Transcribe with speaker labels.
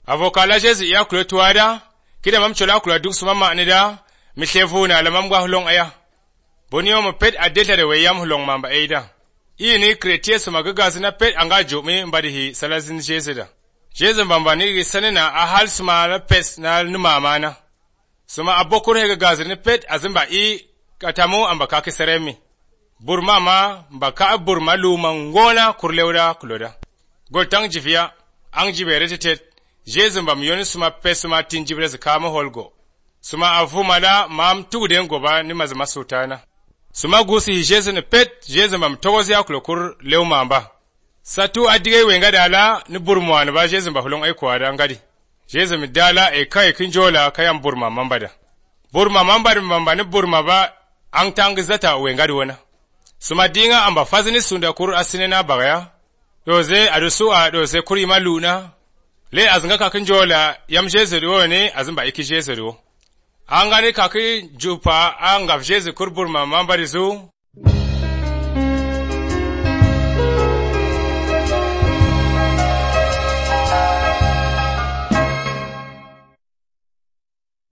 Speaker 1: avokala jesu ya kula tuwada kida mam chola kula duk suma ma nida mishevu na lamam gwa hulong aya bonio mo pet adeta de weyam hulong mamba eida ini kretie suma gaga sina pet anga jome mbadi hi salazin jesu da jesu mbamba ni sanena ahal suma la pes na numa mana suma abokur he gaga sina pet azimba I katamu amba kake seremi burma ma mbaka burma luma ngona kurleuda kuloda goltang jivia ang jibere tetet jesu mbam yoni suma pes suma tinjibre zakama holgo suma avumada mam tugden goba ni mazama sultana suma gusi jesu ne pet jesu mbam togozi akulokur leumamba satu adige wenga dala ni burma ne ba jesu mba hulong ai kwada ngadi jesu mi dala e kai kinjola kayam burma mambada mamba ni burma ba ang tangi zata wengadi wana suma dinga amba fazini sunda kur asinena bagaya doze adusu doze kuri maluna le azinga kakin jola yam jesu ne azimba iki jesu angani kakin jupa anga jesu kur burma mamba rizu